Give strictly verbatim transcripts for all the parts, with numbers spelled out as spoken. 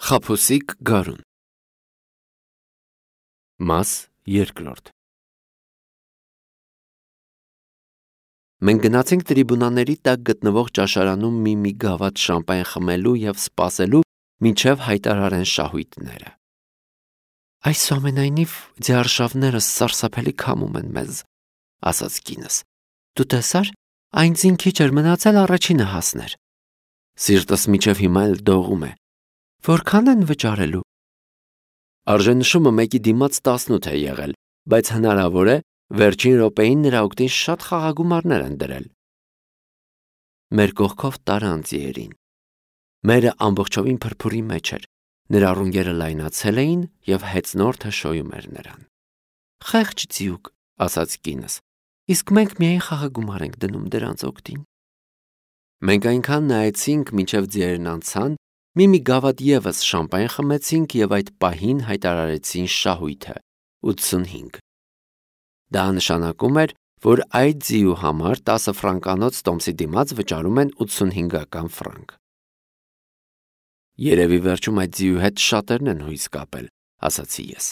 Խաբուսիկ գարուն Մաս երկրորդ Մենք գնացինք տրիբունաների տակ գտնվող ճաշարանում մի-մի գավաթ շամպայն խմելու և սպասելու, մինչև հայտարարեն շահույթները։ Այսուամենայնիվ ձիարշավները սարսափելի քամում են մեզ, ասաց կինս։ Դու տեսար, այն ձին քիչ էր մնացել առաջինը հասներ։ Սիրտս մինչև հիմա էլ դողում է։ Որքան են վճարելու։ Արժենշումը մեկի դիմաց տասնութ է եղել, բայց հնարավոր է վերջին րոպեին նրա օգտին շատ խաղագումարներ են դրել։ Մեր կողքով տարան ձիերին։ Մերը ամբողջովին փրփուրի մեջ էր, նրա ռունգերը լայնացել էին և հեծնորդը շոյում էր նրան։ Խեղճ ձիուկ, ասաց կինս, իսկ մենք միայն խաղագումար ենք դնում դրանց օգտին։ Մենք այնքան նայեցինք, մինչև ձիերն անցան, մի-մի գավաթ ևս շամպայն խմեցինք և այդ պահին հայտարարեցին շահույթը՝ ութսունհինգ։ Դա նշանակում էր, որ այդ ձիու համար տասը ֆրանկանոց տոմսի դիմաց վճարում են ութսունհինգական ֆրանկ։ Երևի վերջում այդ ձիու հետ շատերն են հույս կապել, ասացի ես։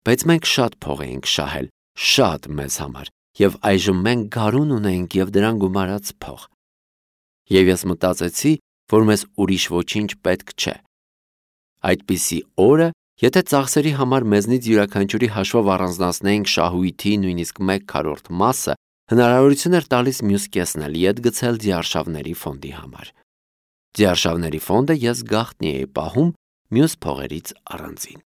Բայց մենք շատ փող էինք շահել, շատ մեզ համար, և այժմ մենք գարուն ունեինք և դրան գումարած փող։ Եվ ես մտածեցի, որ մեզ ուրիշ ոչինչ պետք չէ։ Այդպիսի օրը, եթե ծախսերի համար մեզնից յուրաքանչյուրի հաշվով առանձնացնեինք շահույթի նույնիսկ մեկ քառորդ մասը, հնարավորություն էր տալիս մյուս կեսն էլ ետ գցել ձիարշավների ֆոնդի համար։ Ձիարշավների ֆոնդը ես գաղտնի էի պահում մյուս փողերից առանձին։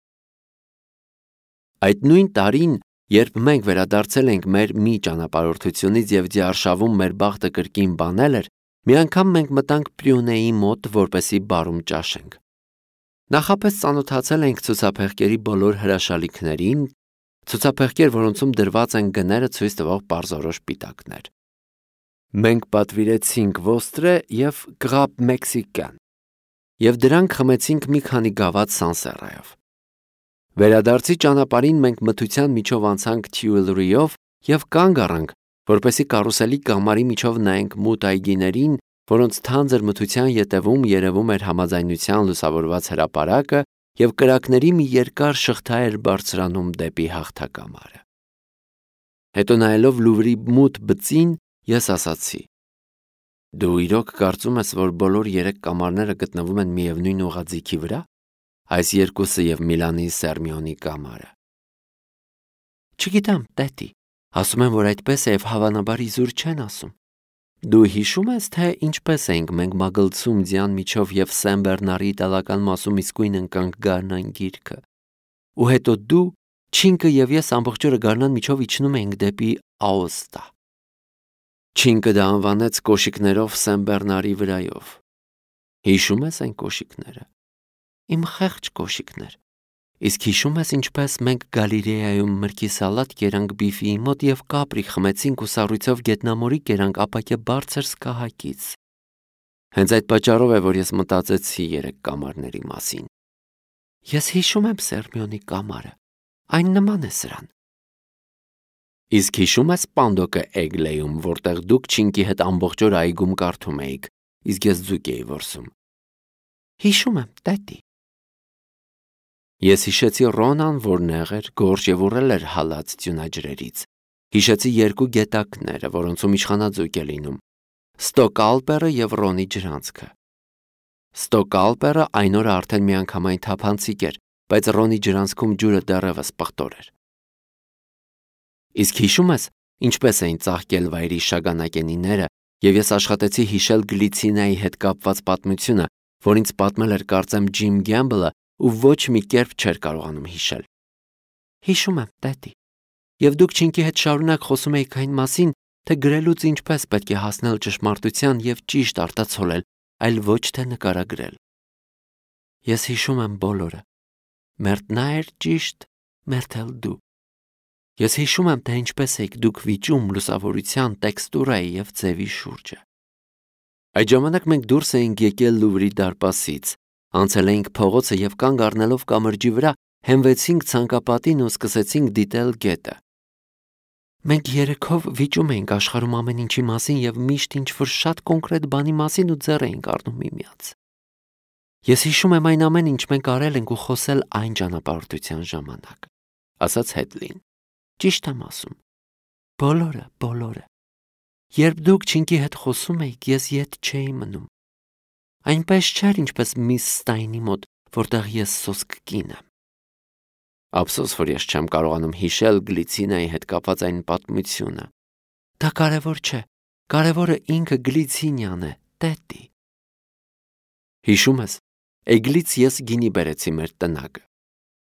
Այդ նույն տարին, երբ մենք վերադարձել ենք մեր մի ճանապարհորդությունից և ձիարշավում մեր բախտը կրկին բանել էր, մի անգամ մենք մտանք Պրյունեի մոտ, որպեսզի բարում ճաշենք։ Նախապես ծանոթացել ենք ցուցափեղկերի բոլոր հրաշալիքներին, ցուցափեղկեր, որոնցում դրված են գները ցույց տվող պարզորոշ պիտակներ։ Մենք պատվիրեցինք ոստրե և կղապ մեքսիկան, և դրանք խմեցինք մի քանի գավաթ Սանսերայով։ Վերադարձի ճանապարհին մենք մթության միջով անցանք Թյուիլրիով և կանգ առանք, որպեսզի կարուսելի կամարի միջով նայենք մութ այգիներին, որոնց թանձր մթության ետևում երևում էր համաձայնության լուսավորված հրապարակը և կրակների մի երկար շղթա էր բարձրանում դեպի հաղթակամարը։ Հետո նայելով Լուվրի մութ բծին, ես ասացի. Դու իրոք կարծում ես, որ բոլոր երեք կամարները գտնվում են միևնույն ուղղաձիգի վրա, այս երկուսը և Միլանի Սերմիոնի կամարը։ Չգիտեմ, տետի, ասում են, որ այդպես է և հավանաբար իզուր չեն ասում։ Դու հիշում ես, թե ինչպես էինք մենք մագլցում ձյան միջով և Սեն Բեռնարի իտալական մասում իսկույն ընկանք գարնան գիրկը։ Ու հետո դու, Չինկը և ես ամբողջ օրը գարնան միջով իջնում էինք դեպի Աոստա։ Չինկը դա անվանեց կոշիկներով Սեն Բեռնարի վրայով։ Հիշում ես այն կոշիկները։ Իմ խեղճ կոշիկներ։ Իսկ հիշում ես ինչպես մենք Գալիլեայում մրգի սալատ կերանք բիֆիի մոտ և կապրի խմեցինք ու սառույցով գետնամորի կերանք ապակե բարձր սկահակից։ Հենց այդ պատճառով է, որ ես մտածեցի երեք կամարների մասին։ Ես հիշում եմ Սերմիոնի կամարը, այն նման է սրան։ Իսկ հիշում ես Պանդոկը Էգլեյում, որտեղ դուք Չինկի հետ ամբողջ օր այգում կարդում էիք, իսկ ես ձուկ էի որսում։ Հիշում եմ, տետի։ Ես հիշեցի Ռոնան, որ նեղ էր, գորշ և ուռել էր հալած ձյունաջրերից։ Հիշեցի երկու գետակները, որոնցում իշխանաձուկ է լինում, Ստոկալպերը և Ռոնի ջրանցքը։ Ստոկալպերը այն օրը արդեն միանգամայն թափանցիկ էր, բայց Ռոնի ջրանցքում ջուրը դեռևս պղտոր էր։ Իսկ հիշում ես, ինչպես էին ծաղկել վայրի շագանակենիները, և ես աշխատեցի հիշել Գլիցինայի հետ կապված պատմությունը, որ ինձ պատմել էր կարծեմ Ջիմ Գեմբլը ու ոչ մի կերպ չէր կարողանում հիշել։ Հիշում եմ, տետի։ Եվ դուք Չինկի հետ շարունակ խոսում էիք այն մասին, թե գրելուց ինչպես պետք է հասնել ճշմարտության և ճիշտ արտացոլել, այլ ոչ թե նկարագրել։ Ես հիշում եմ բոլորը։ Մերթ նա էր ճիշտ, մերթ էլ դու։ Ես հիշում եմ, թե ինչպես եք դուք վիճում լուսավորության, տեքստուրայի և ձևի շուրջը։ Այդ ժամանակ մենք դուրս էինք եկել Լուվրի դարպասից, անցել էինք փողոցը և կանգ առնելով կամրջի վրա, հենվեցինք ցանկապատին ու սկսեցինք դիտել գետը։ Մենք երեքով վիճում էինք աշխարհում ամեն ինչի մասին և միշտ ինչ-որ շատ կոնկրետ բանի մասին ու ձեռ էինք առնում միմյանց։ Ես հիշում եմ այն ամեն ինչ մենք արել ենք ու խոսել այն ճանապարհորդության ժամանակ, ասաց Հեդլին։ Ճիշտ եմ ասում։ Բոլորը, բոլորը։ Երբ դուք Չինկի հետ խոսում էիք, ես ետ չէի մնում։ Այնպես չէր, ինչպես միս Ստայնի մոտ, որտեղ ես սոսկ կին եմ։ Ափսոս, որ ես չեմ կարողանում հիշել Գլիցինայի հետ կապված այն պատմությունը։ Դա կարևոր չէ։ Կարևորը ինքը Գլիցինյան է, տետի։ Հիշում ես, Էգլից ես գինի բերեցի մեր տնագը։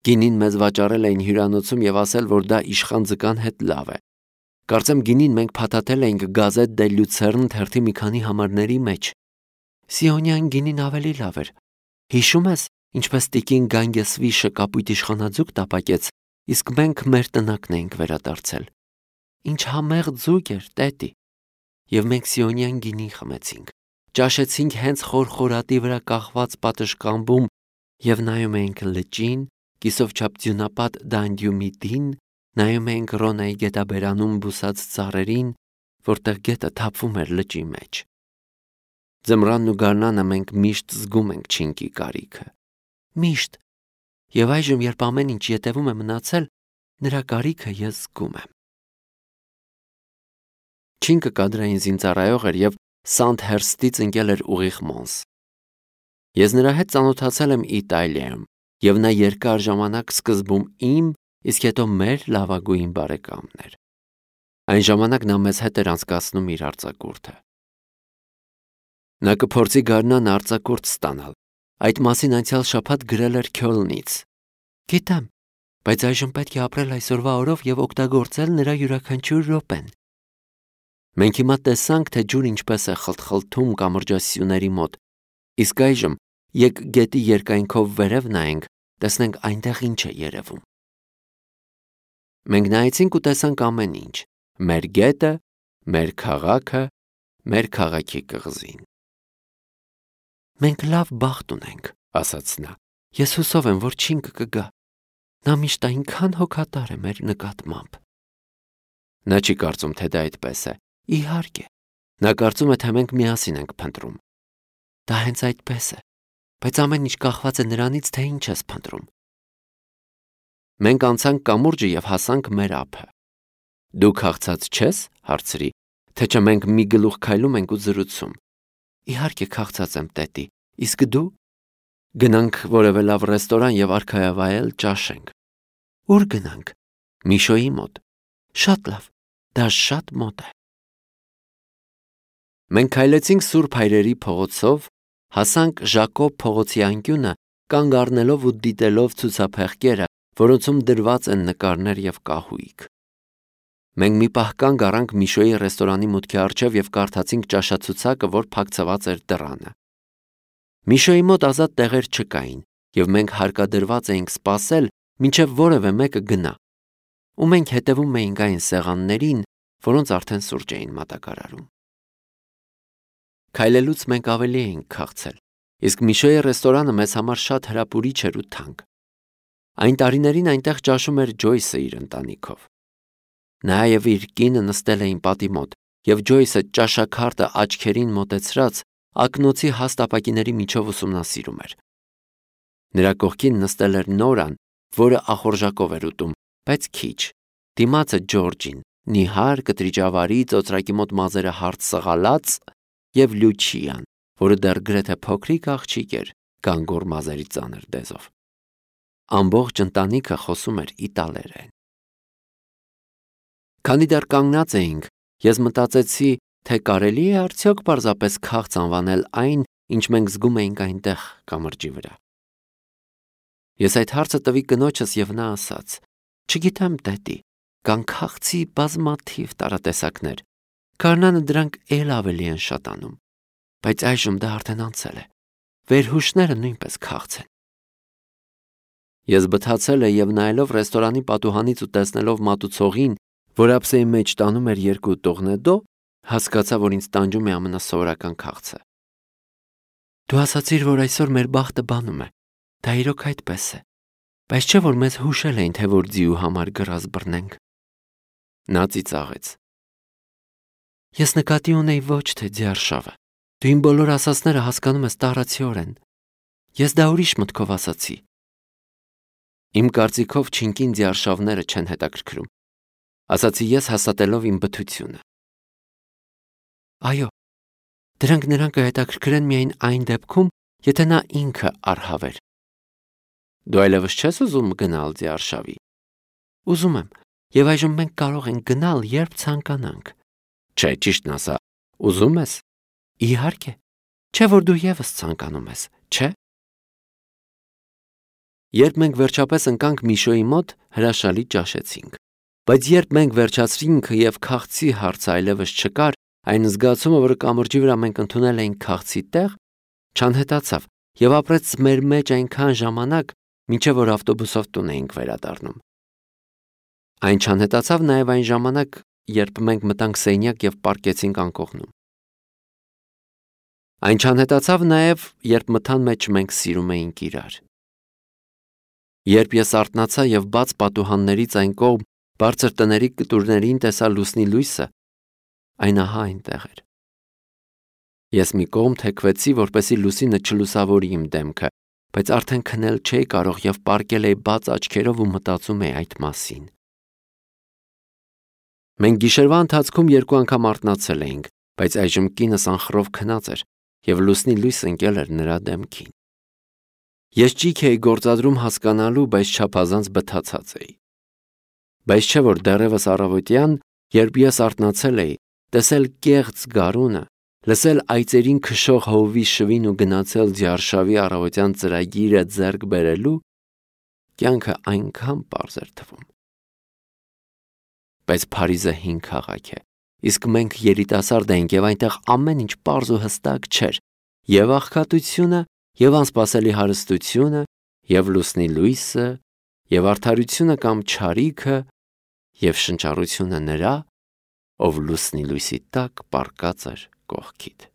Գինին մեզ վաճառել էին հյուրանոցում եւ ասել, որ դա իշխան ձկան հետ լավ է։ Կարծեմ գինին մենք փաթաթել էինք Գազետ դե Լյուցերն թերթի մի քանի համարների մեջ։ Սիոնյան գինին ավելի լավ էր։ Հիշում ես, ինչպես տիկին Գանգեսվիշը կապույտ իշխանաձուկ տապակեց, իսկ մենք մեր տնակն էինք վերադարձել։ Ինչ համեղ ձուկ էր, տետի։ Եվ մենք Սիոնյան գինի խմեցինք։ Ճաշեցինք հենց խորխորատի վրա կախված պատշգամբում եւ նայում էինք լճին, կիսով չափ ձյունապատ Դանդյումիդին, նայում էինք Ռոնայի գետաբերանում բուսած ծառերին, որտեղ գետը թափվում էր լճի մեջ։ Ձմռանն ու գարնանը մենք միշտ զգում ենք Չինկի կարիքը։ Միշտ։ Եվ այժմ, երբ ամեն ինչ ետևում է մնացել, նրա կարիքը ես զգում եմ։ Չինկը կադրային զինծառայող էր եւ Սանդհերստից ընկել էր ուղիղ Մոնս։ Ես նրա հետ ծանոթացել եմ Իտալիայում, եւ նա երկար ժամանակ սկզբում իմ, իսկ հետո մեր լավագույն բարեկամն էր։ Այն ժամանակ նա մեզ հետ էր անցկացնում իր արձակուրդը։ Նա կփորձի գարնան արձակուրդ ստանալ։ Այդ մասին անցյալ շաբաթ գրել էր Քյոլնից։ Գիտեմ, բայց այժմ պետք է ապրել այսօրվա օրով եւ օգտագործել նրա յուրաքանչյուր րոպեն։ Մենք հիմա տեսանք, թե ջուր ինչպես է խլթխլթում կամրջասյուների մոտ, իսկ այժմ եկ գետի երկայնքով վերև նայենք, տեսնենք այնտեղ ինչ է երևում։ Մենք նայեցինք ու տեսանք ամեն ինչ. մեր գետը, մեր քաղաքը, մեր քաղաքի կղզին։ Մենք լավ բախտ ունենք, ասաց նա։ Ես հուսով եմ, որ Չինկը կգա։ Նա միշտ այնքան հոգատար է մեր նկատմամբ։ Նա չի կարծում, թե դա այդպես է։ Իհարկե, նա կարծում է, թե մենք միասին ենք փնտրում։ Դա հենց այդպես է, բայց ամեն ինչ կախված է նրանից, թե ինչ ես փնտրում։ Մենք անցանք կամուրջը եւ հասանք մեր ափը։ Դու քաղցած չես, հարցրի, թե չէ մենք մի գլուխ քայլում ենք ու զրուցում։ Իհարկե քաղցած եմ, տետի, իսկ դու։ Գնանք որևէ լավ ռեստորան եւ արքայավայել ճաշենք։ Ուր գնանք։ Միշոյի մոտ։ Շատ լավ, դա շատ մոտ է։ Մենք քայլեցինք Սուրբ Հայրերի փողոցով, հասանք Ժակոբ փողոցի անկյունը, կանգ առնելով ու դիտելով ցուցափեղկերը, որոնցում դրված են նկարներ եւ կահույք։ Մենք մի պահ կանգ առանք Միշոյի ռեստորանի մուտքի առջև եւ կարդացինք ճաշացուցակը, որ փակցված էր դռանը։ Միշոյի մոտ ազատ տեղեր չկային, եւ մենք հարկադրված էինք սպասել, մինչեւ որևէ մեկը գնա։ Ու մենք հետևում էինք այն սեղաններին, որոնց արդեն սուրճ էին մատակարարում։ Քայլելուց մենք ավելի էինք քաղցել, իսկ Միշոյի ռեստորանը մեզ համար շատ հրապուրիչ էր ու թանկ։ Այն տարիներին այնտեղ ճաշում էր Ջոյսը իր ընտանիքով։ Նա եւ իր կինը նստել էին պատի մոտ, եւ Ջոյսը ճաշաքարտը աչքերին մոտեցրած ակնոցի հաստ ապակիների միջով ուսումնասիրում էր։ Նրա կողքին նստել էր Նորան, որը ախորժակով էր ուտում, բայց քիչ։ Դիմացը Ջորջին, նիհար, կտրիճավարի, ծոծրակի մոտ մազերը հարթ սղալած, եւ Լյուչիան, որը դեռ գրեթե փոքրիկ աղջիկ էր, գանգոր մազերի ծանր դեզով։ Ամբողջ ընտանիքը խոսում էր իտալերեն։ Քանի դեռ կանգնած էինք, ես մտածեցի, թե կարելի է արդյոք պարզապես քաղց անվանել այն, ինչ մենք զգում էինք այնտեղ կամրջի վրա։ Ես այդ հարցը տվի կնոջս եւ նա ասաց. Չգիտեմ, տետի, կան քաղցի բազմաթիվ տարատեսակներ։ Գարնանը դրանք էլ ավելի են շատանում, բայց այժմ դա արդեն անցել է։ Վերհուշները նույնպես քաղց են։ Ես բթացել եմ եւ նայելով ռեստորանի պատուհանից ու տեսնելով մատուցողին, որ ափսեի մեջ տանում էր երկու տողնեդո, հասկացա, որ ինձ տանջում է ամենասովորական քաղցը։ Դու ասացիր, որ այսօր մեր բախտը բանում է։ Դա իրոք այդպես է։ Բայց չէ՞ որ մեզ հուշել էին, թե որ ձիու համար գրազ բռնենք։ Նա ծիծաղեց։ Ես նկատի ունեի ոչ թե ձիարշավը։ Դու իմ բոլոր ասածները հասկանում ես տառացիորեն։ Ես դա ուրիշ մտքով ասացի։ Իմ կարծիքով չինքին ձիարշավները չեն հետաքրքրում, ասացի ես հաստատելով իմ բթությունը։ Այո, դրանք նրան կհետաքրքրեն միայն այն դեպքում, եթե նա ինքը արհավեր։ Դու այլևս չես ուզում գնալ ձիարշավի։ Ուզում եմ, եւ այժմ մենք կարող ենք գնալ, երբ ցանկանանք։ Չէ, ճիշտն ասա, ուզում ես։ Իհարկե, չէ որ դու եւս ցանկանում ես, չէ։ Երբ մենք վերջապես ընկանք Միշոյի մոտ, հրաշալի ճաշեցինք։ Բայց երբ մենք վերջացրինք եւ քաղցի հարցը այլևս չկար, այն զգացումը, որը կամրջի վրա մենք ընդունել էինք քաղցի տեղ, չանհետացավ եւ ապրեց մեր մեջ այնքան ժամանակ, մինչեւ որ ավտոբուսով տուն էինք վերադառնում։ Այն չանհետացավ նաեւ այն ժամանակ, երբ մենք մտանք սենյակ եւ պառկեցինք անկողնում։ Այն չանհետացավ նաեւ, երբ մթան մեջ մենք սիրում էինք իրար։ Երբ ես արթնացա եւ բաց պատուհաններից այն կողմ բարձր տների կտուրներին տեսա լուսնի լույսը, այն ահա այնտեղ էր։ Ես մի կողմ թեքվեցի, որպեսզի լուսինը չլուսավորի իմ դեմքը, բայց արդեն քնել չէի կարող եւ պառկել էի բաց աչքերով ու մտածում էի այդ մասին։ Մենք գիշերվա ընթացքում երկու անգամ արթնացել էինք, բայց այժմ կինս անխռով քնած էր եւ լուսնի լույս ընկել էր նրա դեմքին։ Ես ճիք էի գործադրում հասկանալու, բայց չափազանց բթացած էի։ Բայց չէ որ դեռևս առավոտյան, երբ ես արթնացել էի, տեսել կեղծ գարունը, լսել այծերին քշող հովվի շվին ու գնացել ձիարշավի առավոտյան ծրագիրը ձեռք բերելու, կյանքը այնքան պարզ էր թվում։ Բայց Փարիզը հին քաղաք է, իսկ մենք երիտասարդ էինք եւ այնտեղ ամեն ինչ պարզ ու հստակ չէր, եւ աղքատությունը, եւ անսպասելի հարստությունը, եւ լուսնի լույսը, եւ արդարությունը կամ չարիքը, եւ շնչառությունը նրա, ով լուսնի լույսի տակ պառկած էր կողքիդ։